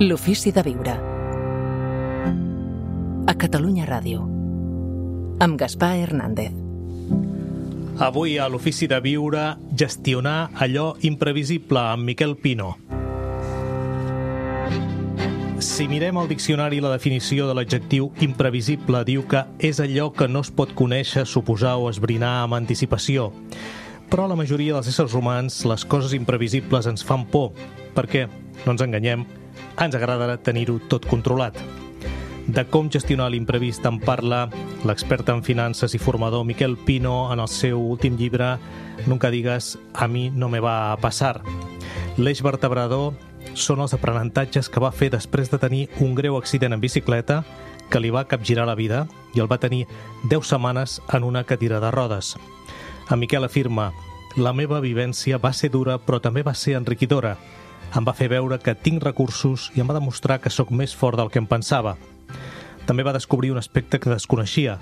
L'ofici de viure. A Catalunya Ràdio. Amb Gaspar Hernández. Avui a l'ofici de viure, gestionar allò imprevisible amb Miquel Pino. Si mirem al diccionari, la definició de l'adjectiu imprevisible diu que és allò que no es pot conèixer, suposar o esbrinar amb anticipació. Però a la majoria dels éssers humans les coses imprevisibles ens fan por, perquè, no ens enganyem, ens agrada tenir-ho tot controlat. De com gestionar l'imprevist en parla l'expert en finances i formador Miquel Pino en el seu últim llibre Nunca digas a mi no me va a pasar. L'eix vertebrador són els aprenentatges que va fer després de tenir un greu accident en bicicleta que li va capgirar la vida i el va tenir 10 setmanes en una cadira de rodes. En Miquel afirma: la meva vivència va ser dura però també va ser enriquidora. Em va fer veure que tinc recursos i em va demostrar que sóc més fort del que em pensava. També va descobrir un aspecte que desconeixia.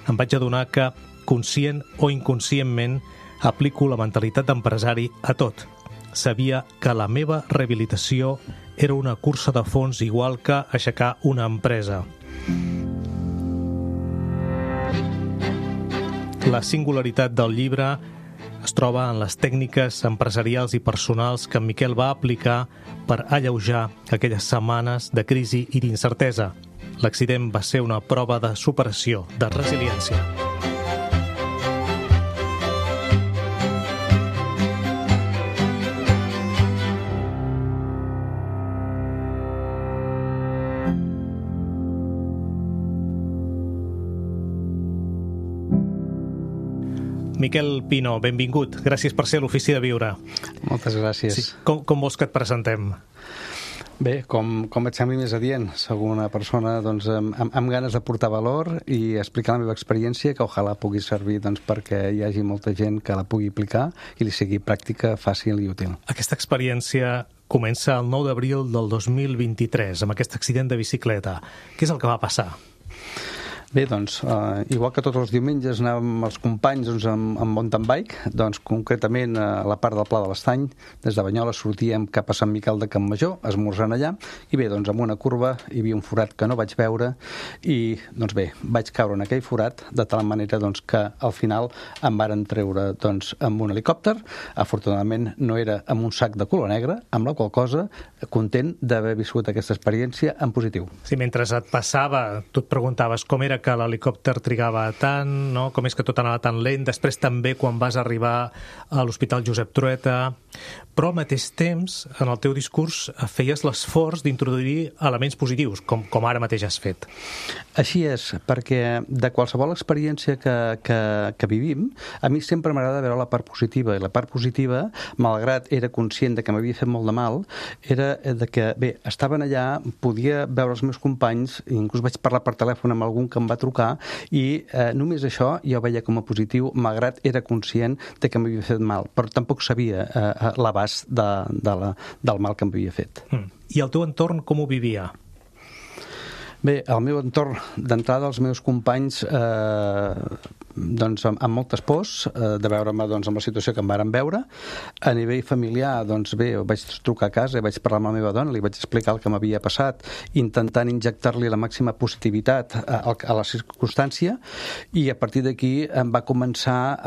Em vaig adonar que, conscient o inconscientment, aplico la mentalitat d'empresari a tot. Sabia que la meva rehabilitació era una cursa de fons igual que aixecar una empresa. La singularitat del llibre es troba en les tècniques empresarials i personals que en Miquel va aplicar per alleujar aquelles setmanes de crisi i d'incertesa. L'accident va ser una prova de superació, de resiliència. Miquel Pino, benvingut. Gràcies per ser a l'Ofici de Viure. Moltes gràcies. Sí. Com vols que et presentem? Bé, com et sembli més adient. Soc una persona amb ganes de portar valor i explicar la meva experiència, que ojalà pugui servir perquè hi hagi molta gent que la pugui aplicar i li sigui pràctica, fàcil i útil. Aquesta experiència comença el 9 d'abril del 2023, amb aquest accident de bicicleta. Què és el que va passar? Bé, igual que tots els diumenges anàvem amb els companys amb mountain bike, concretament a la part del Pla de l'Estany, des de Banyoles sortíem cap a Sant Miquel de Campmajor, esmorzant allà, i bé, amb una curva hi havia un forat que no vaig veure i, vaig caure en aquell forat de tal manera que al final em varen treure amb un helicòpter. Afortunadament no era amb un sac de color negre, amb la qual cosa content d'haver viscut aquesta experiència en positiu. Sí, mentre et passava, tu et preguntaves com era que l'helicòpter trigava tant, no? Com és que tot anava tan lent, després també quan vas arribar a l'Hospital Josep Trueta, però al mateix temps, en el teu discurs, feies l'esforç d'introduir elements positius, com ara mateix has fet. Així és, perquè de qualsevol experiència que vivim, a mi sempre m'agrada veure la part positiva, i la part positiva, malgrat era conscient de que m'havia fet molt de mal, era de que, bé, estaven allà, podia veure els meus companys, inclús vaig parlar per telèfon amb algun que em va trucar i només això jo veia com a positiu, malgrat era conscient de que m'havia fet mal, però tampoc sabia l'abast del mal que m'havia fet. I el teu entorn com ho vivia? Bé, el meu entorn, d'entrada, els meus companys amb moltes pors de veure'm amb la situació que em varen veure. A nivell familiar, vaig trucar a casa i vaig parlar amb la meva dona, li vaig explicar el que m'havia passat, intentant injectar-li la màxima positivitat a la circumstància, i a partir d'aquí em va començar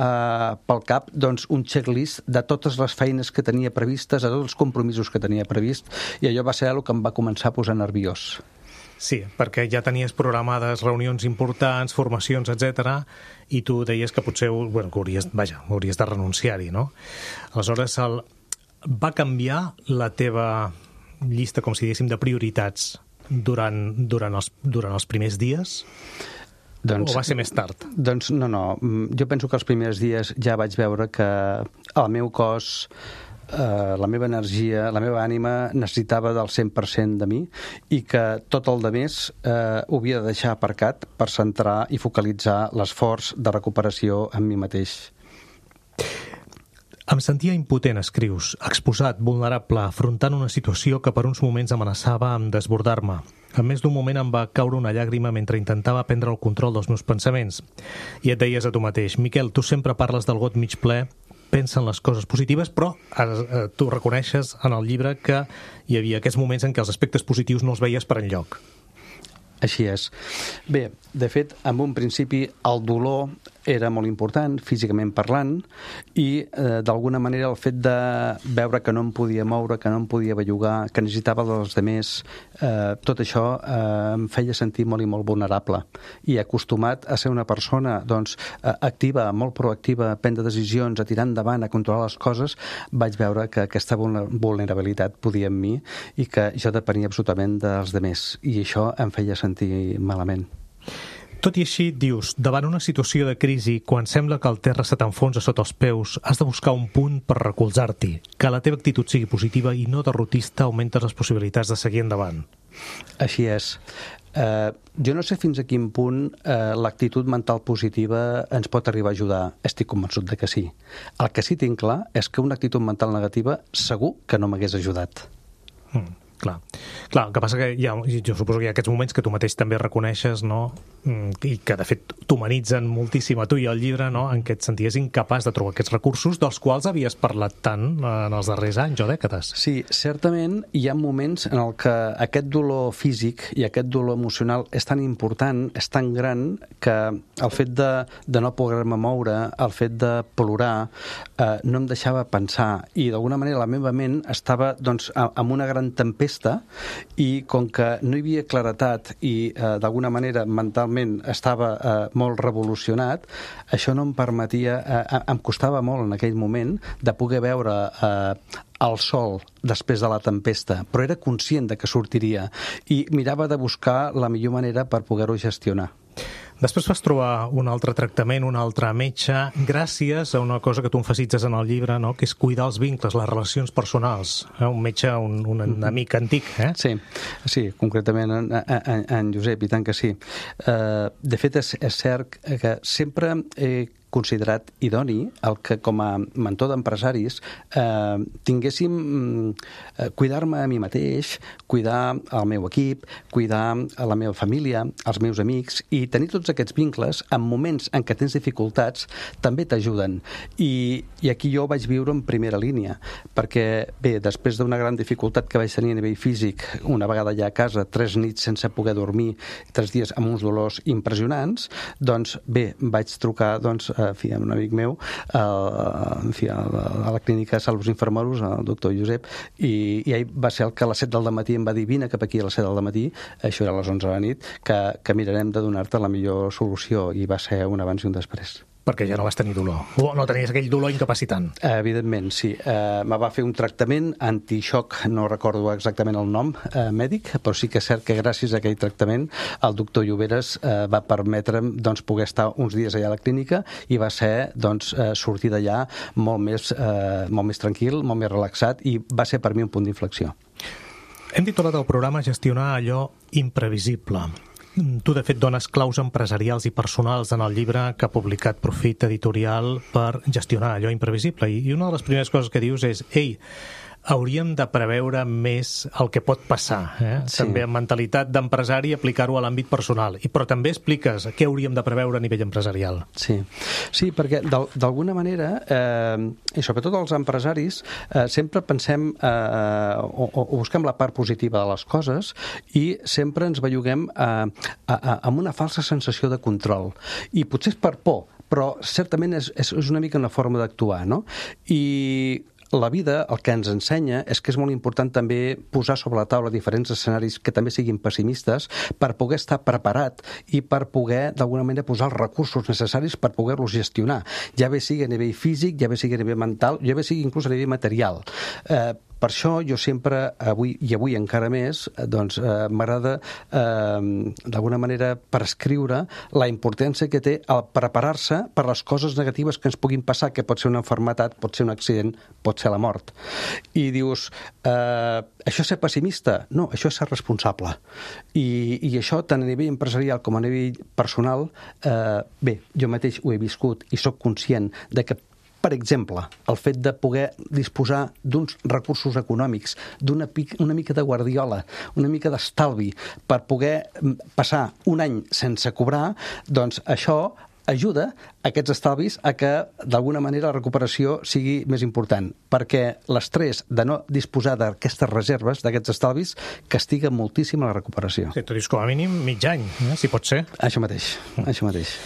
pel cap un checklist de totes les feines que tenia previstes, de tots els compromisos que tenia previst, i allò va ser el que em va començar a posar nerviós. Sí, perquè ja tenies programades reunions importants, formacions, etc. I tu deies que potser hauries de renunciar-hi, no? Aleshores, va canviar la teva llista, com si diguéssim, de prioritats durant els primers dies? O va ser més tard? No. Jo penso que els primers dies ja vaig veure que el meu cos, la meva energia, la meva ànima necessitava del 100% de mi i que tot el demés ho havia de deixar aparcat per centrar i focalitzar l'esforç de recuperació en mi mateix. Em sentia impotent, escrius, exposat, vulnerable, afrontant una situació que per uns moments amenaçava amb desbordar-me. En més d'un moment em va caure una llàgrima mentre intentava prendre el control dels meus pensaments. I et deies a tu mateix: Miquel, tu sempre parles del got mig ple, pensen les coses positives, però tu reconeixes en el llibre que hi havia aquests moments en què els aspectes positius no els veies per enlloc. Així és. Bé, de fet, en un principi el dolor era molt important, físicament parlant, i d'alguna manera el fet de veure que no em podia moure, que no em podia bellugar, que necessitava dels demés, tot això em feia sentir molt i molt vulnerable. I acostumat a ser una persona activa, molt proactiva, a prendre decisions, a tirar endavant, a controlar les coses, vaig veure que aquesta vulnerabilitat podia en mi i que jo depenia absolutament dels demés. I això em feia sentir malament. Tot i així, dius, davant una situació de crisi, quan sembla que el terra se t'enfonsa sota els peus, has de buscar un punt per recolzar-t'hi. Que la teva actitud sigui positiva i no derrotista augmentes les possibilitats de seguir endavant. Així és. Jo no sé fins a quin punt l'actitud mental positiva ens pot arribar a ajudar. Estic convençut de que sí. El que sí tinc clar és que una actitud mental negativa segur que no m'hagués ajudat. Clar, el que passa que jo suposo que hi ha aquests moments que tu mateix també reconeixes, no? I que de fet t'humanitzen moltíssim a tu i al llibre, no? En què et senties incapaç de trobar aquests recursos dels quals havies parlat tant en els darrers anys o dècades. Sí, certament hi ha moments en el que aquest dolor físic i aquest dolor emocional és tan important, és tan gran, que el fet de no poder-me moure, el fet de plorar, no em deixava pensar, i d'alguna manera la meva ment estava amb una gran tempesta, i com que no hi havia claretat i d'alguna manera mentalment estava molt revolucionat, això no em permetia, em costava molt en aquell moment de poder veure el sol després de la tempesta, però era conscient de que sortiria i mirava de buscar la millor manera per poder-ho gestionar. Després vas trobar un altre tractament, un altre metge, gràcies a una cosa que tu emfasitzes en el llibre, no? Que és cuidar els vincles, les relacions personals. Un metge, un amic antic, eh? Sí, concretament en Josep, i tant que sí. De fet, és cert que sempre he considerat idoni el que com a mentor d'empresaris tinguéssim cuidar-me a mi mateix, cuidar el meu equip, cuidar la meva família, els meus amics, i tenir tots aquests vincles en moments en què tens dificultats també t'ajuden. I aquí jo vaig viure en primera línia, perquè bé, després d'una gran dificultat que vaig tenir a nivell físic, una vegada ja a casa, 3 nits sense poder dormir, 3 dies amb uns dolors impressionants, doncs bé, vaig trucar amb un amic meu a la clínica Salus Infermeros, el doctor Josep, i ell va ser el que a les 7 del matí em va dir: vine cap aquí a les 7 del matí, això era a les 11 de la nit, que mirarem de donar-te la millor solució, i va ser un abans i un després. Perquè ja no vas tenir dolor, o no tenies aquell dolor incapacitant. Evidentment, sí. Me va fer un tractament antixoc, no recordo exactament el nom mèdic, però sí que és cert que gràcies a aquell tractament el doctor Lloberes va permetre'm poder estar uns dies allà a la clínica, i va ser sortir d'allà molt més tranquil, molt més relaxat, i va ser per mi un punt d'inflexió. Hem titulat el programa Gestionar allò imprevisible. Tu, de fet, dones claus empresarials i personals en el llibre que ha publicat Profit Editorial per gestionar allò imprevisible. I una de les primeres coses que dius és: ei, hauríem de preveure més el que pot passar. Sí. També amb mentalitat d'empresari aplicar-ho a l'àmbit personal. Però també expliques què hauríem de preveure a nivell empresarial. Sí, perquè d'alguna manera, i sobretot els empresaris, sempre pensem o busquem la part positiva de les coses, i sempre ens belluguem amb una falsa sensació de control. I potser és per por, però certament és una mica una forma d'actuar, no? I la vida el que ens ensenya és que és molt important també posar sobre la taula diferents escenaris que també siguin pessimistes, per poder estar preparat i per poder d'alguna manera posar els recursos necessaris per poder-los gestionar, ja bé sigui a nivell físic, ja bé sigui a nivell mental, ja bé sigui inclús a nivell material. Per això jo sempre, avui encara més, m'agrada d'alguna manera prescriure la importància que té el preparar-se per les coses negatives que ens puguin passar, que pot ser una malaltia, pot ser un accident, pot ser la mort. I dius, això és ser pessimista? No, això és ser responsable. I això, tant a nivell empresarial com a nivell personal, bé, jo mateix ho he viscut i sóc conscient de que, per exemple, el fet de poder disposar d'uns recursos econòmics, una mica de guardiola, una mica d'estalvi, per poder passar un any sense cobrar, doncs això ajuda aquests estalvis a que, d'alguna manera, la recuperació sigui més important, perquè l'estrès de no disposar d'aquestes reserves, d'aquests estalvis, castiga moltíssim la recuperació. Sí, tu dius com a mínim mig any, si pot ser. Això mateix, això mateix.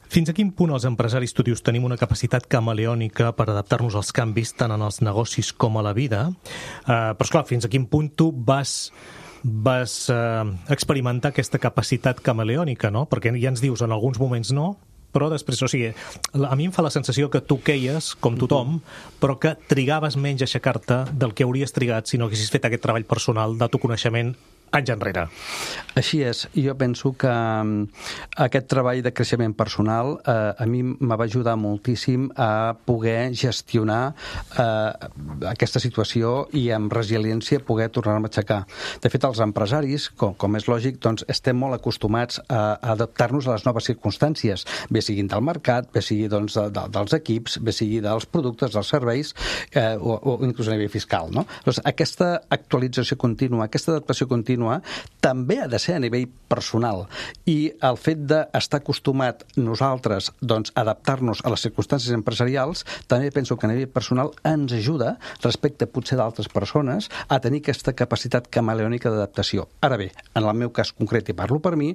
Fins a quin punt els empresaris, tu dius, tenim una capacitat camaleònica per adaptar-nos als canvis tant en els negocis com a la vida? Però, esclar, fins a quin punt tu vas experimentar aquesta capacitat camaleònica, no? Perquè ja ens dius, en alguns moments no, però després, o sigui, a mi em fa la sensació que tu queies, com tothom, però que trigaves menys a aixecar-te del que hauries trigat si no haguessis fet aquest treball personal d'autoconeixement anys enrere. Així és. Jo penso que aquest treball de creixement personal a mi me va ajudar moltíssim a poder gestionar aquesta situació i amb resiliència poder tornar-me a aixecar. De fet, els empresaris, com és lògic, doncs estem molt acostumats a adaptar-nos a les noves circumstàncies, bé siguin del mercat, bé sigui doncs, dels equips, bé sigui dels productes, dels serveis o inclús a nivell fiscal. No? Doncs aquesta actualització contínua, aquesta adaptació contínua també ha de ser a nivell personal, i el fet d'estar acostumat nosaltres doncs, a adaptar-nos a les circumstàncies empresarials també penso que a nivell personal ens ajuda respecte potser d'altres persones a tenir aquesta capacitat camaleònica d'adaptació. Ara bé, en el meu cas concret, i parlo per mi,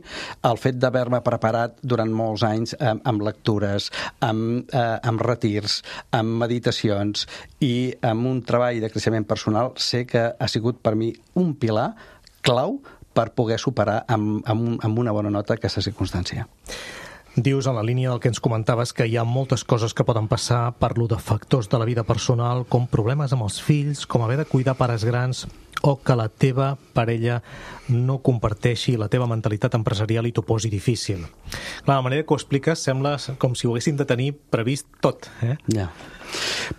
el fet d'haver-me preparat durant molts anys amb lectures, amb retirs, amb meditacions i amb un treball de creixement personal, sé que ha sigut per mi un pilar clau per poder superar amb una bona nota aquesta circumstància. Dius, en la línia del que ens comentaves, que hi ha moltes coses que poden passar, parlo de factors de la vida personal, com problemes amb els fills, com haver de cuidar pares grans, o que la teva parella no comparteixi la teva mentalitat empresarial i t'ho posi difícil. Clar, la manera que ho expliques sembla com si ho haguéssim de tenir previst tot. Ja.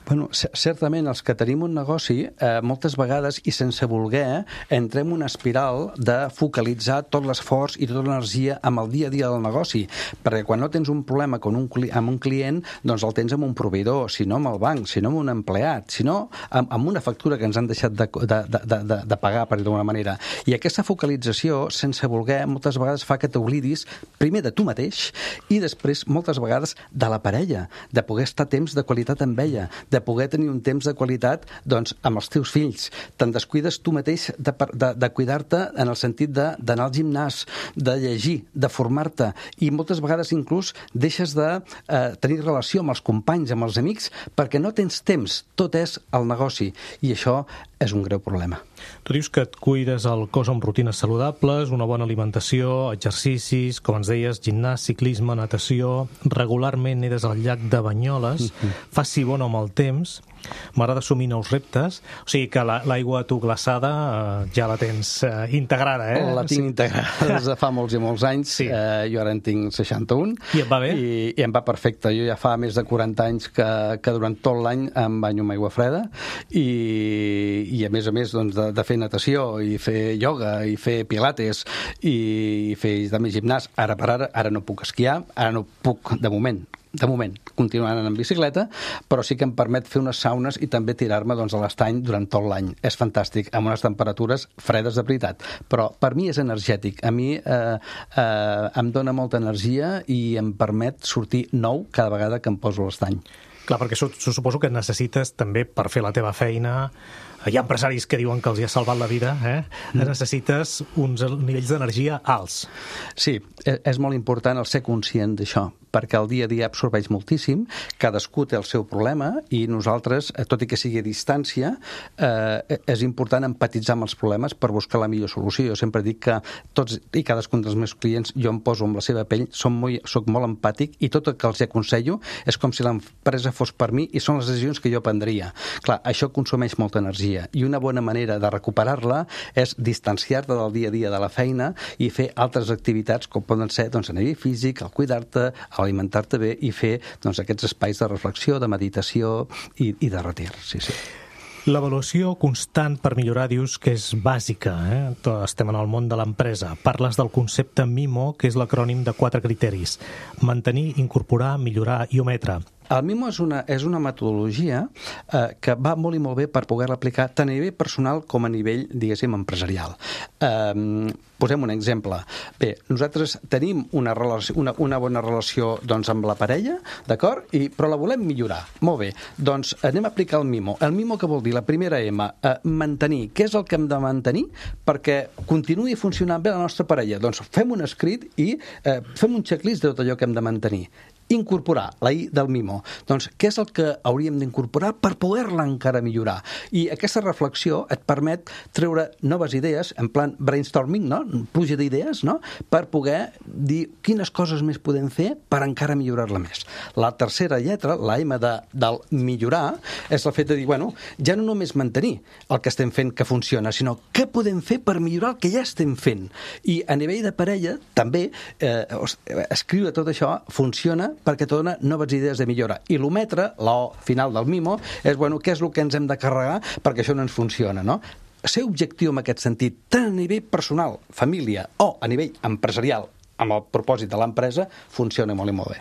Bueno, certament els que tenim un negoci moltes vegades i sense voler entrem en una espiral de focalitzar tot l'esforç i tota l'energia amb el dia a dia del negoci, perquè quan no tens un problema amb un client, doncs el tens amb un proveïdor, si no amb el banc, si no amb un empleat, si no amb una factura que ens han deixat de pagar, per d'alguna manera. I aquesta focalització, sense voler, moltes vegades fa que t'oblidis primer de tu mateix i després, moltes vegades, de la parella, de poder estar temps de qualitat amb ella, de poder tenir un temps de qualitat doncs, amb els teus fills. Te'n descuides tu mateix de cuidar-te en el sentit d'anar al gimnàs, de llegir, de formar-te, i moltes vegades inclús deixes de tenir relació amb els companys, amb els amics, perquè no tens temps, tot és el negoci, i això és un greu problema. Tu dius que et cuides el cos amb rutines saludables, una bona alimentació, exercicis, com ens deies, gimnàs, ciclisme, natació, regularment nedes al llac de Banyoles, faci bon amb el temps, m'agrada assumir nous reptes, o sigui que l'aigua tu glaçada ja la tens integrada, eh? La tinc integrada des de fa molts i molts anys, sí. Jo ara en tinc 61. I et va bé? I em va perfecte. Jo ja fa més de 40 anys que durant tot l'any em banyo amb aigua freda i a més doncs, de fer natació i fer ioga i fer pilates i fer també gimnàs. Ara per ara no puc esquiar, ara no puc de moment continuant en bicicleta, però sí que em permet fer unes saunes i també tirar-me doncs, a l'estany durant tot l'any. És fantàstic, amb unes temperatures fredes de veritat, però per mi és energètic. A mi em dona molta energia i em permet sortir nou cada vegada que em poso a l'estany. Clar, perquè suposo que necessites també per fer la teva feina. Hi ha empresaris que diuen que els hi ha salvat la vida, necessites uns nivells d'energia alts. Sí, és molt important el ser conscient d'això, perquè el dia a dia absorbeix moltíssim, cadascú té el seu problema i nosaltres, tot i que sigui a distància, és important empatitzar amb els problemes per buscar la millor solució. Jo sempre dic que tots i cadascun dels meus clients, jo em poso amb la seva pell, soc molt empàtic i tot el que els aconsello és com si l'empresa fos per mi i són les decisions que jo prendria. Clar, això consumeix molta energia i una bona manera de recuperar-la és distanciar-te del dia a dia de la feina i fer altres activitats com poden ser doncs, a nivell físic, el cuidar-te, alimentar-te bé i fer doncs, aquests espais de reflexió, de meditació i de retir. Sí, sí. L'avaluació constant per millorar dius que és bàsica. Estem en el món de l'empresa. Parles del concepte MIMO, que és l'acrònim de 4 criteris. Mantenir, incorporar, millorar i ometre. El MIMO és una metodologia que va molt i molt bé per poder-la aplicar tant a nivell personal com a nivell, diguéssim, empresarial. Posem un exemple. Bé, nosaltres tenim una bona relació doncs, amb la parella, d'acord? Però la volem millorar. Molt bé. Doncs anem a aplicar el MIMO. El MIMO què vol dir? La primera M, mantenir. Què és el que hem de mantenir perquè continuï funcionant bé la nostra parella? Doncs fem un escrit i fem un checklist de tot allò que hem de mantenir. Incorporar, la I del MIMO. Doncs què és el que hauríem d'incorporar per poder-la encara millorar? I aquesta reflexió et permet treure noves idees, en plan brainstorming, no? Pluja d'idees, no? Per poder dir quines coses més podem fer per encara millorar-la més. La tercera lletra, la M del millorar, és el fet de dir, bueno, ja no només mantenir el que estem fent que funciona, sinó què podem fer per millorar el que ja estem fent. I a nivell de parella, també, escriure tot això funciona perquè te dona noves idees de millora. I l'ometre, la O final del MIMO, és, bueno, què és el que ens hem de carregar perquè això no ens funciona, no? Ser objectiu en aquest sentit, tant a nivell personal, família, o a nivell empresarial, amb el propòsit de l'empresa, funciona molt i molt bé.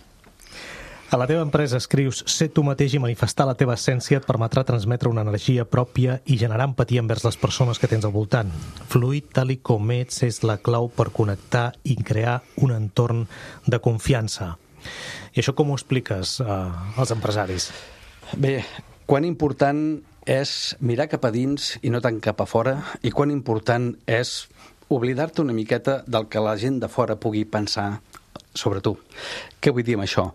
A la teva empresa escrius «Ser tu mateix i manifestar la teva essència et permetrà transmetre una energia pròpia i generar empatia envers les persones que tens al voltant. Fluir tal i com ets és la clau per connectar i crear un entorn de confiança». I això com ho expliques als empresaris? Bé, quan important és mirar cap a dins i no tant cap a fora, i quan important és oblidar-te una miqueta del que la gent de fora pugui pensar sobre tu. Què vull dir amb això?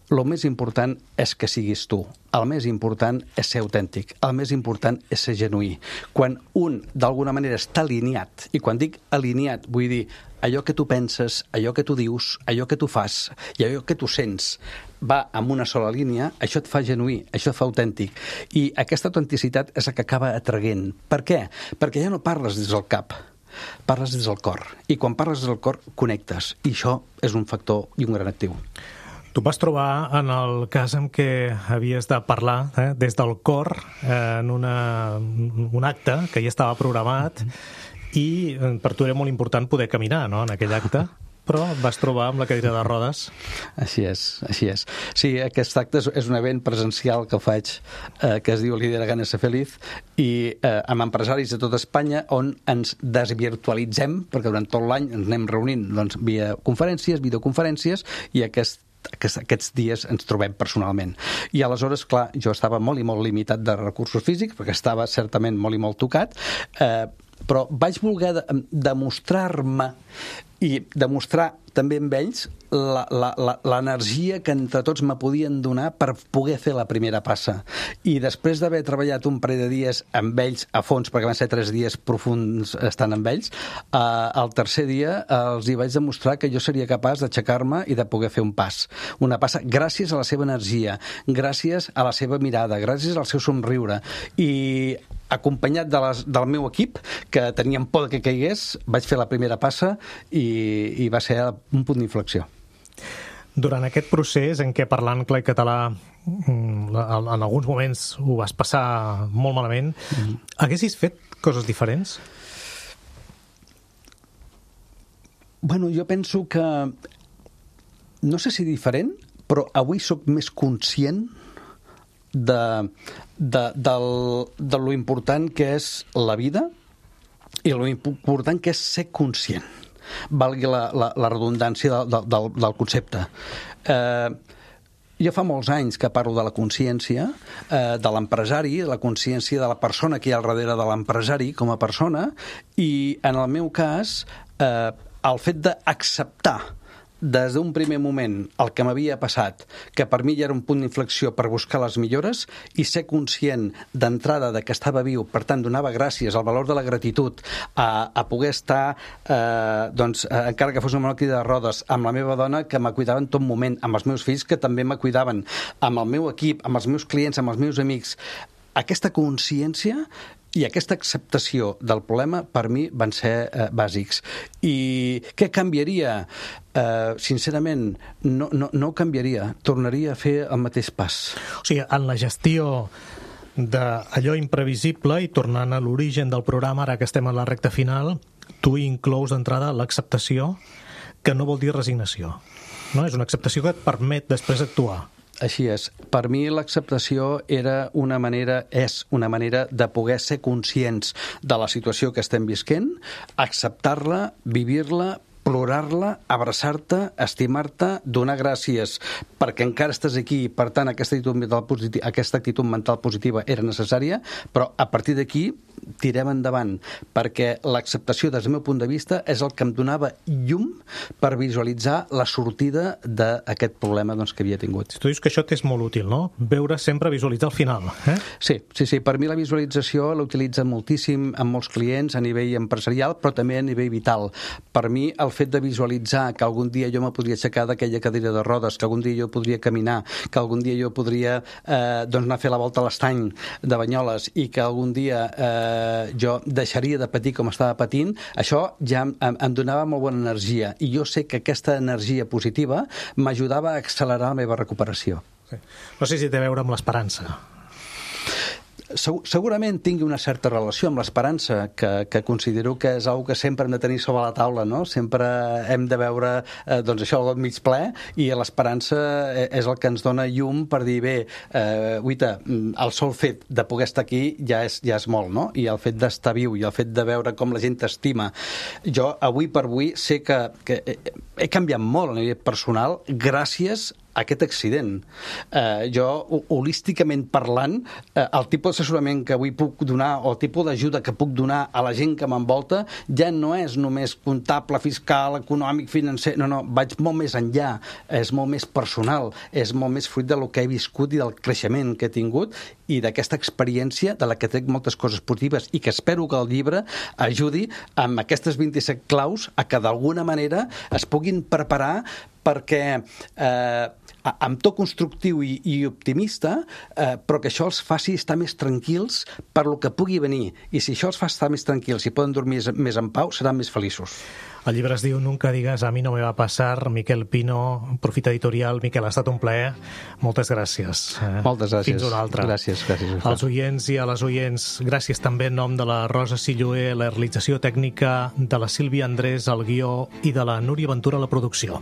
El més important és que siguis tu. El més important és ser autèntic. El més important és ser genuí. Quan un, d'alguna manera, està alineat, i quan dic alineat, vull dir allò que tu penses, allò que tu dius, allò que tu fas i allò que tu sents va en una sola línia, això et fa genuí, això et fa autèntic. I aquesta autenticitat és la que acaba atraient. Per què? Perquè ja no parles des del cap, parles des del cor. I quan parles des del cor, connectes. I això és un factor i un gran actiu. Tu vas trobar en el cas en què havies de parlar des del cor en un acte que ja estava programat i per tu era molt important poder caminar, no?, en aquell acte, però et vas trobar amb la cadira de rodes. Així és, així és. Sí, aquest acte és un event presencial que faig que es diu Lidera Gana Ser Feliz i amb empresaris de tot Espanya on ens desvirtualitzem, perquè durant tot l'any ens anem reunint doncs, via conferències, videoconferències, i aquests dies ens trobem personalment. I aleshores, clar, jo estava molt i molt limitat de recursos físics, perquè estava certament molt i molt tocat, però vaig voler demostrar-me i demostrar també amb ells l'energia que entre tots me podien donar per poder fer la primera passa. I després d'haver treballat un parell de dies amb ells a fons, perquè van ser 3 dies profunds estant amb ells, el tercer dia els hi vaig demostrar que jo seria capaç d'aixecar-me i de poder fer un pas. Una passa gràcies a la seva energia, gràcies a la seva mirada, gràcies al seu somriure. I acompanyat del meu equip, que tenien por que caigués, vaig fer la primera passa i va ser un punt d'inflexió. Durant aquest procés en què parlant clar i català en alguns moments ho vas passar molt malament, haguessis fet coses diferents? Bueno, jo penso que no sé si diferent, però avui sóc més conscient de lo important que és la vida i lo important que és ser conscient, valgui la redundància del concepte. Jo fa molts anys que parlo de la consciència de l'empresari, la consciència de la persona que hi ha al darrere de l'empresari com a persona, i en el meu cas el fet d'acceptar des d'un primer moment el que m'havia passat, que per mi ja era un punt d'inflexió per buscar les millores, i ser conscient d'entrada de que estava viu, per tant donava gràcies al valor de la gratitud a poder estar encara que fos una malaltia de rodes, amb la meva dona que me cuidava en tot moment, amb els meus fills que també me cuidaven, amb el meu equip, amb els meus clients, amb els meus amics. Aquesta consciència i aquesta acceptació del problema per mi van ser bàsics. I què canviaria? Sincerament, no ho canviaria. Tornaria a fer el mateix pas. O sigui, en la gestió d'allò imprevisible i tornant a l'origen del programa, ara que estem a la recta final, tu inclous d'entrada l'acceptació, que no vol dir resignació. No? És una acceptació que et permet després actuar. Així és. Per mi l'acceptació és una manera de poder ser conscients de la situació que estem visquent, acceptar-la, vivir-la, plorar-la, abraçar-te, estimar-te, donar gràcies perquè encara estàs aquí i, per tant, aquesta actitud mental positiva era necessària, però a partir d'aquí tirem endavant, perquè l'acceptació, des del meu punt de vista, és el que em donava llum per visualitzar la sortida d'aquest problema que havia tingut. Tu dius que això t'és molt útil, no? Veure sempre, visualitzar el final. Sí. Per mi la visualització l'utilitzen moltíssim amb molts clients a nivell empresarial, però també a nivell vital. Per mi, el fet de visualitzar que algun dia jo me podria aixecar d'aquella cadira de rodes, que algun dia jo podria caminar, que algun dia jo podria anar a fer la volta a l'estany de Banyoles i que algun dia jo deixaria de patir com estava patint, això ja em donava molt bona energia i jo sé que aquesta energia positiva m'ajudava a accelerar la meva recuperació. Sí. No sé si té a veure amb l'esperança. Segurament tingui una certa relació amb l'esperança, que considero que és una que sempre hem de tenir sobre la taula, no? Sempre hem de veure això, el got mig ple, i l'esperança és el que ens dona llum per dir, bé, guita, el sol fet de poder estar aquí ja és molt, no? I el fet d'estar viu i el fet de veure com la gent t'estima. Jo, avui per avui, sé que he canviat molt a nivell personal gràcies a aquest accident. Jo, holísticament parlant, el tipus d'assessorament que avui puc donar o el tipus d'ajuda que puc donar a la gent que m'envolta ja no és només comptable, fiscal, econòmic, financer, no, vaig molt més enllà, és molt més personal, és molt més fruit del que he viscut i del creixement que he tingut i d'aquesta experiència de la que trec moltes coses positives i que espero que el llibre ajudi amb aquestes 27 claus a que d'alguna manera es puguin preparar perquè amb to constructiu i optimista, però que això els faci estar més tranquils per lo que pugui venir. I si això els fa estar més tranquils i poden dormir més en pau, seran més feliços. El llibre es diu Nunca digas a mí no me va a pasar. Miquel Pino, Profit Editorial. Miquel, ha estat un plaer. Moltes gràcies. Moltes gràcies. Fins una altra. Gràcies. Als oients i a les oients, gràcies també en nom de la Rosa Silloé, la realització tècnica, de la Sílvia Andrés, el guió, i de la Núria Ventura, la producció.